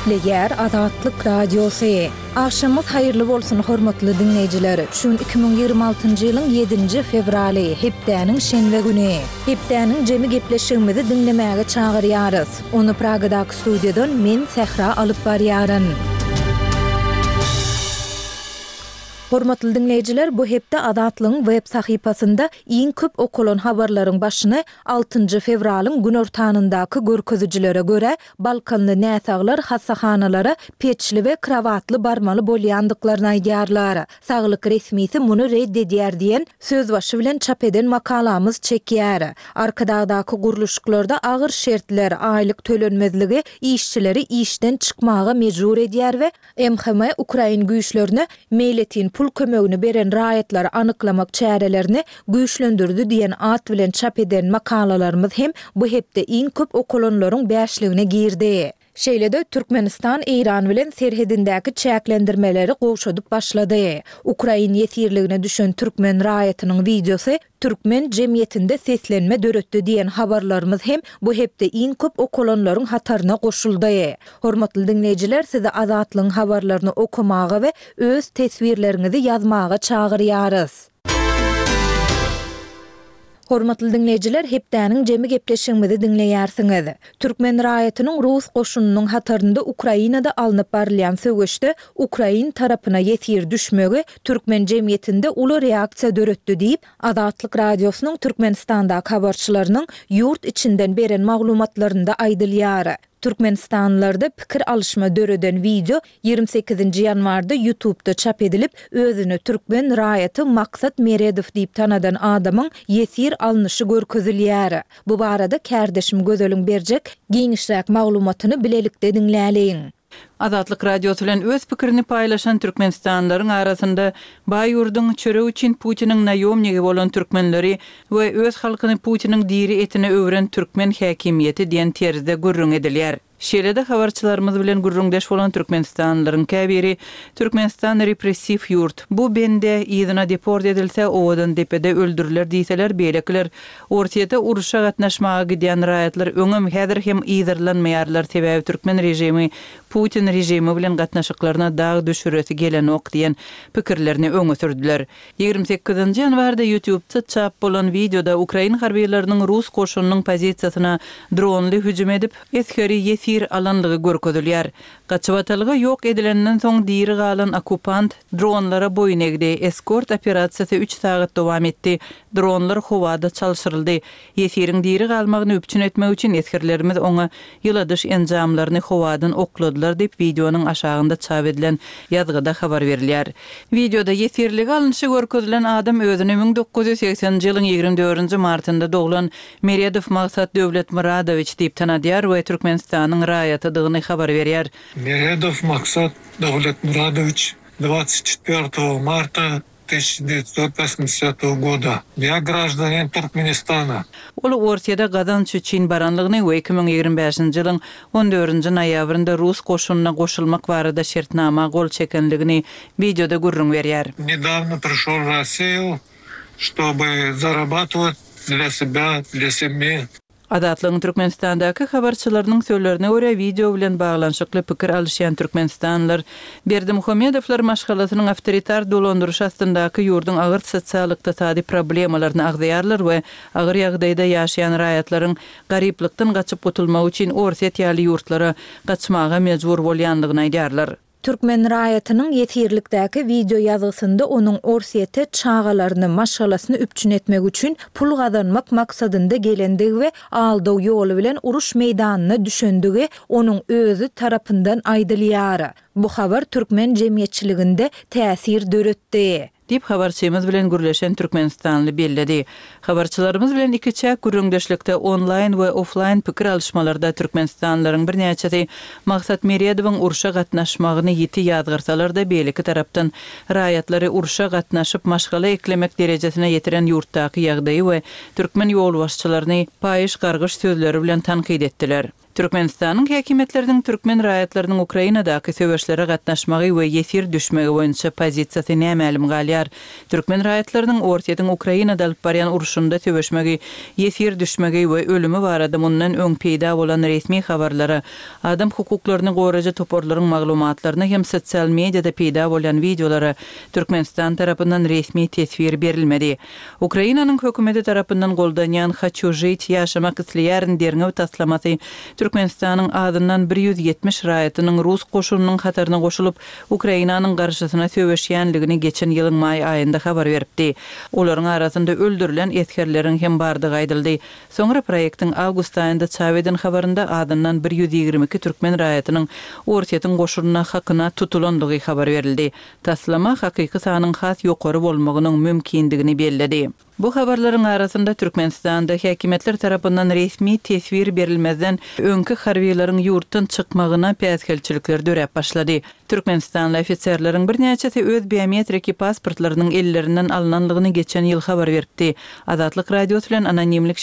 Gepleýär Azatlyk Radiosy. Agşamyňyz haýyrly bolsun, hormatly diňleýjiler! Şu gün 2026-njy ýylyň ýedinji fewraly, hepdäniň şenbe güni. Hepdäniň jemi gepleşigimizi diňlemäge çagyrýarys. Ony Pragadaky studiýadan men, Sähra alyp barýaryn. Hormatly diňleýjiler, bu hepde Azatlygyň web sahypasynda iň köp okalan habarlaryň başyny altynjy fewralyň günortanyndaky görkezijilere görä, balkanly näsaglar hassahanalara peçli we krowatly barmaly bolýandyklaryny aýdýarlar. Saglyk resmisi muny red edýär diýen sözbaşy bilen çap eden makalamyz çekýär. Arkadagdaky gurluşyklarda agyr şertler, aýlyk tölenmezligi işçileri işden çykmaga mejbur edýär we MHM ukrain güýçlerine meýletin pul kömegini beren raýatlary anyklamak çärelerini güýçlendirdi diýen at bilen çap eden makalalarymyz hem bu hepde iň köp okalanlaryň bäşligine girdi. Şeýle-de, Türkmenistan Eýran bilen serhedindäki çäklendirmeleri gowşadyp başlady. Ukrain ýesirligine düşen türkmen raýatynyň wideosy türkmen jemgyýetinde seslenme döretdi diýen habarlarymyz hem bu hepde iň köp okalanlaryň hataryna goşuldy. Hormatly diňleýjiler, sizi Azatlygyň habarlaryny okamaga we öz teswirleriňizi ýazmaga çagyrýarys. Hormatly diňleýjiler, hepdäniň jemi gepleşigimizi diňleýärsiňiz. Türkmen raýatynyň rus goşunynyň hatarynda Ukrainada alnyp barylýan söweşde ukrain tarapyna ýesir düşmegi türkmen jemgyýetinde uly reaksiýa döretdi diýip, Azatlyk Radiosynyň Türkmenistandaky habarçylarynyň ýurt içinden beren maglumatlarynda aýdylýar. Türkmenistanlylarda pikir alyşma döreden wideo 28-nji ýanwarda YouTubda çap edilip, özüni türkmen raýaty Maksat Meredow diýip tanadan adamyň ýesir alnyşy görkezilýär. Bu barada kärdeşim Gözeliň berjek giňişräk maglumatyny bilelikde diňläliň. Azatlyk Radiosy bilen öz pikirini paýlaşan türkmenistanlylaryň arasynda baý ýurduň çöregi üçin Putiniň naýomnigi bolan türkmenleri we öz halkyny Putiniň diri etine öwren türkmen häkimiýeti diýen terzde gürrüň edilýär. Şeýle-de habarçylarymyz bilen gürrüňdeş bolan türkmenistanlylaryň käbiri Türkmenistan repressiw ýurt, bu bende yzyna deport edilse Owadandepede öldüriler diýseler, beýlekiler Orsýete urşa gatnaşmaga gidýän raýatlar öňem, häzir hem yzarlanmaýarlar, sebäbi türkmen režimi Putin režimi bilen gatnaşyklaryna dag düşüresi gelenok diýen pikirlerini öňe sürdüler. 28-nji ýanwarda YouTube-da çap bolan wideoda ukrain harbylarynyň rus goşunynyň pozisiýasyna dronly hüjüm edip, esgeri ýesir alanlygy görkezilýär. Gaçybatalga ýok edilenden soň diri galan okkupant dronlara boýun egdi. Eskort operasiýasy üç sagat dowam etdi. Dronlar howada çalşyryldy. Ýesiriň diri galmagyny üpjün etmek üçin esgerlerimiz oňa ýyladyş enjamlaryny howadan okladylar diýip, wideonyň aşagynda çap edilen ýazgyda habar berilýär. Wideoda ýesirlige alnyşy görkezilen adam özüni 1980-nji ýylyň 24-nji martynda doglan Meredow Maksat Döwletmyradowiç diýip tanadýar we Türkmenistanyň raýatydygyny habar berýär. Meredow Maksat Dawletmuradowiç dwadtsat çetwertogo marta tysячa deýatsot wosmidesýatogo goda. Ýa graždanin Türkmenistana. Ol Orsýede gazanç üçin baranlygyny we 2025-nji ýylyň on dördünji noýabrynda rus goşunyna goşulmak barada şertnama gol çekenligini wideoda gürrüň berýär. Nedawno prişol w Rossiýu, Ştoby zarabatywat dlya sebya, dlya semyi. Azatlygyň Türkmenistandaky habarçylarynyň sözlerine görä, wideo bilen baglanyşykly pikir alyşýan türkmenistanlylar Berdimuhamedowlar maşgalasynyň awtoritar dolandyryşy astyndaky ýurduň agyr sosial-ykdysady problemalaryny agzaýarlar we agyr ýagdaýda ýaşaýan raýatlaryň garyplykdan gaçyp gutulmak üçin Orsýet ýaly ýurtlara gaçmaga mejbur bolýandygyny aýdýarlar. Türkmen raýatynyň ýesirlikdäki wideoýazgysynda onuň Orsýete çagalaryny, maşgalasyny üpjün etmek üçin pul gazanmak maksadynda gelendigi we aldaw ýoly bilen uruş meýdanyna düşendigi onuň özi tarapyndan aýdylýar. Bu habar türkmen jemgyýetçiliginde täsir döretdi. Diýip, habarçymyz bilen gürleşen türkmenistanly belledi. Habarçylarymyz bilen ikiçäk gürrüňdeşlikde onlaýn we oflaýn pikir alyşmalarda türkmenistanlylaryň birnäçesi Maksat Meredowyň urşa gatnaşmagyny ýiti ýazgarsalar-da, beýleki tarapdan, raýatlary urşa gatnaşyp, maşgala eklemek derejesine ýetiren ýurtdaky ýagdaýy we türkmen ýolbaşçylaryny paýyş gargyş sözleri bilen tankyt etdiler. Türkmenistanyň häkimiýetleriniň türkmen raýatlarynyň Ukrainadaky söweşlere gatnaşmagy we ýesir düşmegi boýunça pozisiýasy nämälim galýar. Türkmen raýatlarynyň Orsýetiň Ukrainada alyp barýan urşunda söweşmegi, ýesir düşmegi we ölümi barada mundan öň peýda bolan resmi habarlara, adam hukuklaryny goraýjy toparlaryň maglumatlaryna hem sosial mediada peýda bolýan wideolara Türkmenistan tarapyndan resmi teswir berilmedi. Ukrainanyň hökümeti tarapyndan goldanýan Haçu žit, Ýaşamak isleýärin derňew taslamasy Türkmenistanyň azyndan 170 raýatynyň rus goşunynyň hataryna goşulyp, Ukrainanyň garşysyna söweşýänligini geçen ýylyň maý aýynda habar beripdi. Olaryň arasynda öldürilen esgerleriň hem bardygy aýdyldy. Soňra proýektiň awgust aýynda çap eden habarynda azyndan 122 türkmen raýatynyň Orsýetiň goşunyna hakyna tutulandygy habar berildi. Taslama hakyky sanyň has ýokary bolmagynyň mümkindigini belledi. Bu habarlaryň arasynda Türkmenistanda häkimiýetler tarapyndan resmi teswir berilmezden öňki harbylaryň ýurtdan çykmagyna päsgelçilikler döräp başlady. Türkmenistanly ofiserleriň birnäçesi öz biometriki pasportlarynyň ellerinden alnanlygyny geçen ýyl habar beripdi. Azatlyk Radiosy bilen anonimlik.